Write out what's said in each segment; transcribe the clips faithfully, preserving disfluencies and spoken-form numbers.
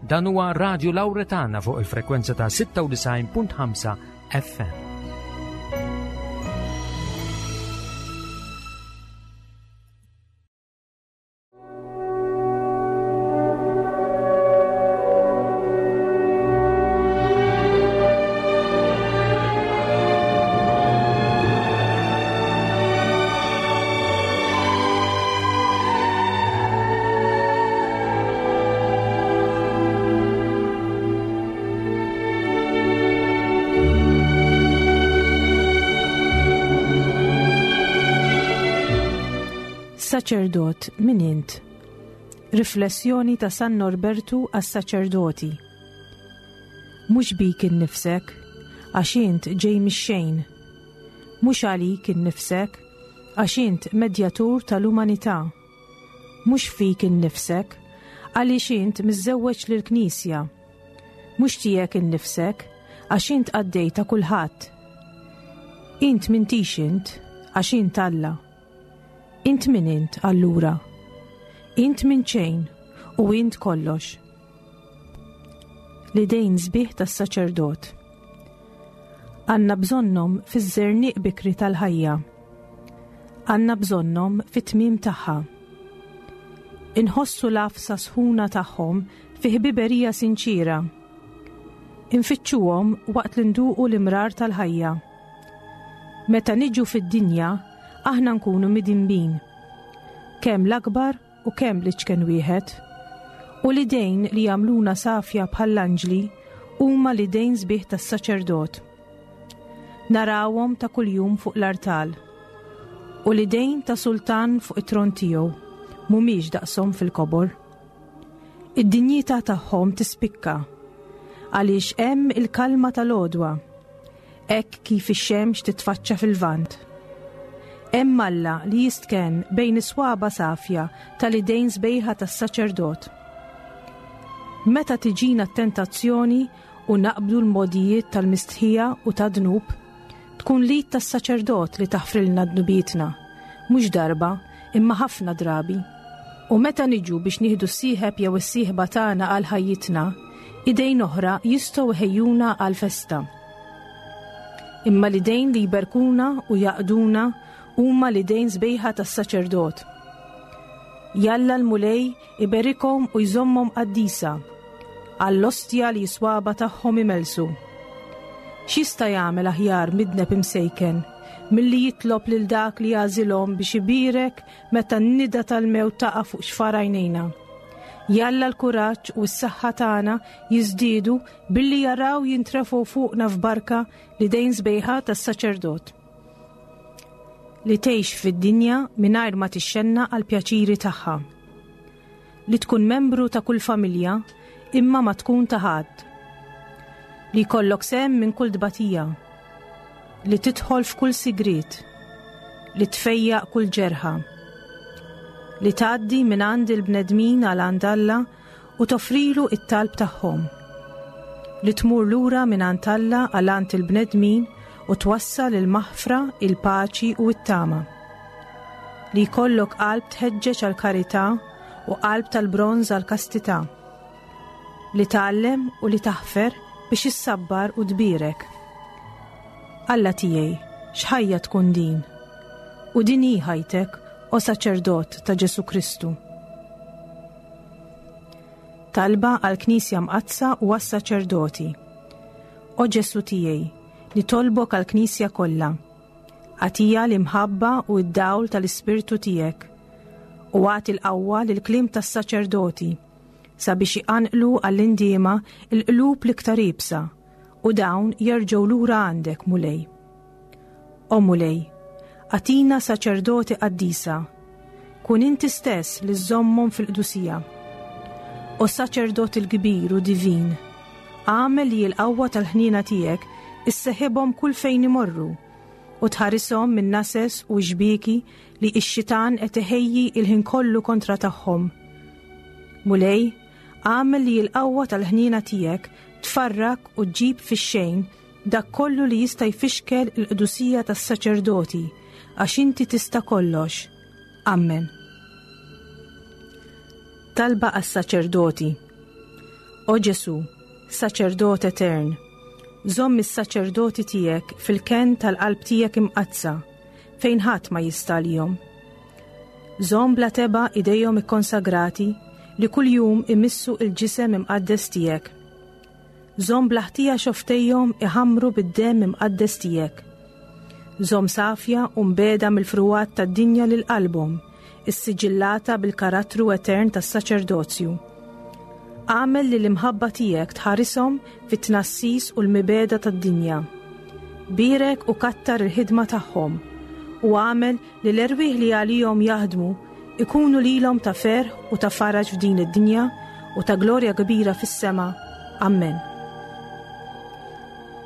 Dan huwa Radio Lauretana fuq il-frekwenza ta' sitta u disgħin punt ħamsa F M. Saċerdot, min int? Riflessjoni ta' San Norbertu għas-saċerdoti. Mhux bik innifsek, għax int ġej mix-xejn. Mhux għalik innifsek, għax int medjatur tal-umanità. Mhux fik innifsek, għaliex int miżżewweġ lill-Knisja. Mhux tiegħek innifsek, għax int qaddej ta' kulħadd. Int m'intix int, għax int Alla. Int min int allura? Int minn xejn u int kollox. L-idejn sbieħ tas-saċerdot. Għandna bżonnhom fiż-żerniq bikri tal-ħajja. Għandna bżonnhom fit-tmiem tagħha. Inħossu l-għafsa sħuna tagħhom fi ħbiberija sinċira. Infittxuhom waqt li nduqu l-imrar tal-ħajja. Meta niġu fid-dinja, aħna nkunu midinbin. Kemm l-akbar u kemm l-iċken wieħed. U l-idejn li jagħmluna safja bħall-anġli huma l-idejn sbieħ tas-saċerdot. Narawhom ta' kuljum fuq l-artal. U l-idejn ta' sultan fuq it-tron tiegħu mhumiex daqshom fil-kobor. Id-dinjità tagħhom tispikka għaliex hemm il-kalma tal-għodwa, hekk kif ix-xemx titfaċċa fil-lvant. Hemm Alla li jistkenn bejn is-swaba safja tal-idejn sbejħa tas-saċerdot. Meta tiġina t-tentazzjoni u naqbdu l-mogħdijiet tal-mistħija u tad-dnub, tkun l-id tas-saċerdot li taħfrilna dnubietna, mhux darba, imma ħafna drabi. U meta niġu biex nieħdu s-sieħeb jew is-sieħba tagħna għal ħajjitna, idejn oħra jistgħu jħejjuna għal festa. Imma l-idejn li jberkuna u jaqduna huma l-idejn sbejħa tas-saċerdot. Jalla l-Mulej iberikhom u jżommhom qaddisa għall-ostja li s-swaba tagħhom imellsu. X'jista' jagħmel aħjar midneb imsejken milli jitlob lil dak li għażilhom biex ibierek meta n-nida tal-mewt taqa' fuq xfar għajnejna? Jalla l-kuraġġ u s-saħħa tagħna jiżdiedu billi jaraw jintrefgħu fuqna f'barka l-idejn sbejħa tas-saċerdot. Li tgħix fid-dinja mingħajr ma tixxennaq għall-pjaċiri tagħha. Li tkun membru ta' kull familja imma ma tkun ta' ħadd. Li jkollok sehem minn kull tbatija. Li tidħol f'kull sigriet. Li tfejjaq kull ġerħa. Li tgħaddi minn għand il-bnedmin għal għand Alla u toffrilu it-talb tagħhom. Li tmur lura minn għand Alla għal għand il-bnedmin u twassal il-maħfra, il-paċi u t-tama. Li jkollok qalb tħeġġeġ għal karità u qalb tal-bronż għal kastità. Li tgħallem u li taħfer biex issabbar u tbierek. Alla tiegħi, x'ħajja tkun din? U din hi ħajtek, o saċerdot ta' Ġesu Kristu. Talba għal Knisja Mqaddsa u għas-saċerdoti. O Ġesu tiegħi, nitolbok għal-Knisja kollha. Agħtiha l-imħabba u d-dawl tal-Ispirtu tiegħek u agħti l-qawwa lill-kliem tas-saċerdoti sabiex iqanqlu għall-indiema il-qlub l-iktar iebsa u dawn jerġgħu lura għandek, Mulej. O Mulej, agħtina saċerdoti qaddisa, kun inti stess li żżommhom fil-qdusija. O saċerdot il-kbir u divin, agħmel li l-qawwa tal-ħnina tiegħek isseħibhom kull fejn imorru u tħarishom minn nases u xbieki li x-xitan qed iħejji il-ħin kollu kontra tagħhom. Mulej, agħmel li l-qawwa tal-ħnina tiegħek tfarrak u ġġib fix-xejn dak kollu li jista' jfixkel il-qdusija tas-saċerdoti, għax inti tista' kollox. Amen. Talba għas-saċerdoti. O Ġesù, saċerdot etern, żomm is-saċerdoti tiegħek fil-kenn tal-qalb tiegħek imqaddsa, fejn ħadd ma jista' għalihom. Żomm bla tebgħa idejhom ikkonsagrati li kuljum imissu il-ġisem imqaddes tiegħek. Żomm bla ħtija xofftejhom iħammru bid-demm imqaddes tiegħek. Żomm safja u mbiegħda mill-frugħat tad-dinja lil qalbhom, issiġillata bil-karattru etern tas-saċerdozju. Agħmel li l-imħabba tiegħek tħarishom fit-tnassis u l-mibegħda tad-dinja. Bierek u kattar il-ħidma tagħhom u agħmel li l-erwieħ li għalihom jaħdmu ikunu lilhom ta' ferħ u ta' faraġ f'din id-dinja u ta' glorja kbira fis-sema. Amen.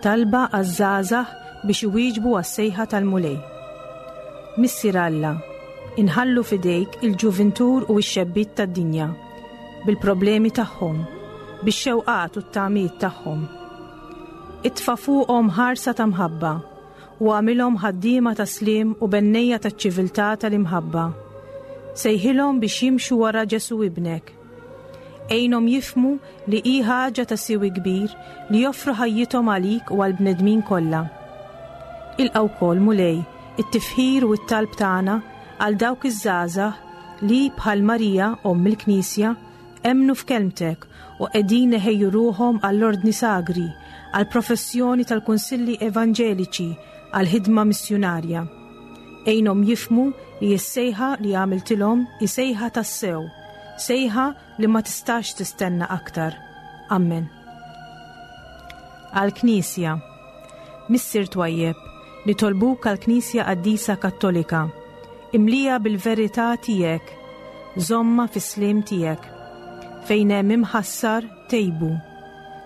Talba għaż-żgħażagħ biex iwieġbu għas-sejħa tal-Mulej. Missier Alla, inħallu fidejk il-ġuvintur u x-xebbiet tad-dinja, bil-problemi tagħhom, bix-xewqat u t-tamiet tagħhom. Itfa' fuqhom ħarsa ta' mħabba u agħmilhom ħaddiema ta' sliem u bennejja taċ-ċiviltà tal-imħabba. Sejħilhom biex jimxu wara Ġesù ibnek. Għinhom jifhmu li hi ħaġa ta' siwi kbir li joffru ħajjithom għalik u għall-bnedmin kollha. Ilqa' wkoll Mulej, it-tifħir u t-talb tagħna għal dawk iż-żgħażagħ li bħal Marija omm il-Knisja emmnu f'kelmtek u qegħdin iħejju ruħhom għall-ordni sagri, għall-professjoni tal-kunsilli evanġeliċi, għall-ħidma missjunarja. Għinhom jifhmu li s-sejħa li għamiltilhom hi sejħa tassew, sejħa li ma tistax tistenna aktar. Amen. Għal-Knisja. Missier twajjeb, nitolbuk għal-Knisja Qaddisa Kattolika, imliha bil-verità tiegħek, żommha fis-sliem tiegħek. Fejn hemm imħassar tejbu,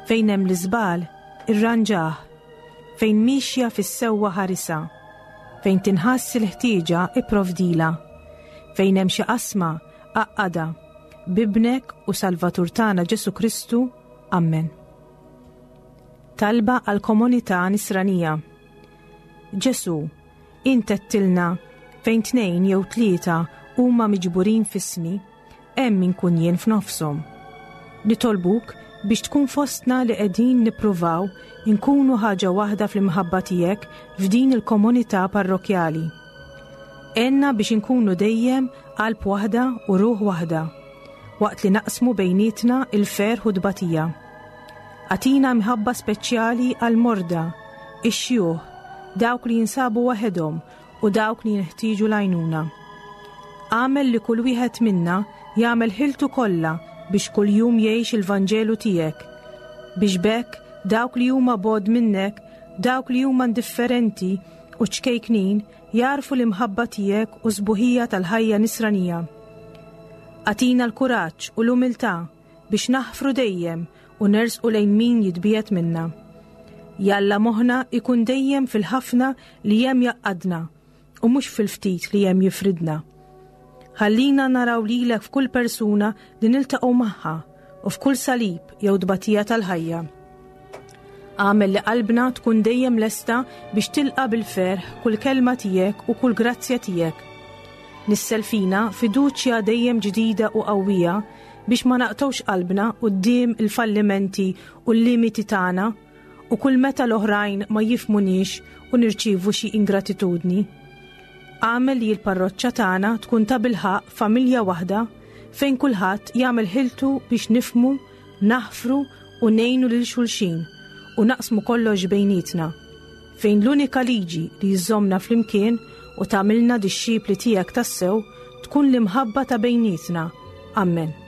fejn hemm l-iżball irranġah, fejn mixja fis-sewwa ħarisha, fejn tinħass il-ħtieġa ipprovdilha, fejn hemm xi qasma għaqqadha, b'Ibnek u Salvatur tagħna Ġesù Kristu. Amen. Talba għal komunità nisranija. Ġesù, int għedtilna fejn tnejn jew tlieta huma miġburin f'ismi, hemm inkun jien f'nofshom. Nitolbuk biex tkun fostna li qegħdin nippruvaw inkunu ħaġa waħda fl-imħabba tiegħek f'din il-komunità parrokjali. Għinna biex inkunu dejjem qalb waħda u ruħ waħda, waqt li naqsmu bejnietna il-ferħ u tbatija. Agħtina mħabba speċjali għall-morda, ix-xjuħ, dawk li jinsabu waħedhom u dawk li jinħtieġu l-għajnuna. Agħmel li kull wieħed minna jagħmel ħiltu kollha biex kuljum jgħix il-Vanġelu tiegħek, biex b'hekk dawk li huma bogħod minnek, dawk li huma indifferenti u ċkejknin jagħrfu l-imħabba tiegħek u s-sbuħija tal-ħajja nisranija. Agħtina l-kuraġġ u l-umiltà biex naħfru dejjem u nersqu lejn min jitbiegħed minna. Jalla moħħna ikun dejjem fil-ħafna li hemm jgħaqqadna u mhux fil-ftit li hemm jifridna. Ħallina naraw lilek f'kull persuna li niltaqgħu magħha u f'kull salib jew tbatija tal-ħajja. Agħmel li qalbna tkun dejjem lesta biex tilqa' bil-ferħ kull kelma tiegħek u kull grazzja tiegħek. Nissel fina fiduċja dejjem ġdida u qawwija biex ma naqtgħux qalbna quddiem il-fallimenti u l-limiti tagħna u kull meta l-oħrajn ma jifhmuniex u nirċievu xi ingratitudni. Agħmel li l-parroċċa tagħna tkun ta' bilħaqq familja waħda fejn kulħadd jagħmel ħiltu biex nifhmu, naħfru u ngħinu lil xulxin u naqsmu kollox bejnietna. Fejn l-unika liġi li jżommna flimkien u tagħmilna dixxipli tiegħek tassew tkun l-imħabba ta' bejnietna. Amen.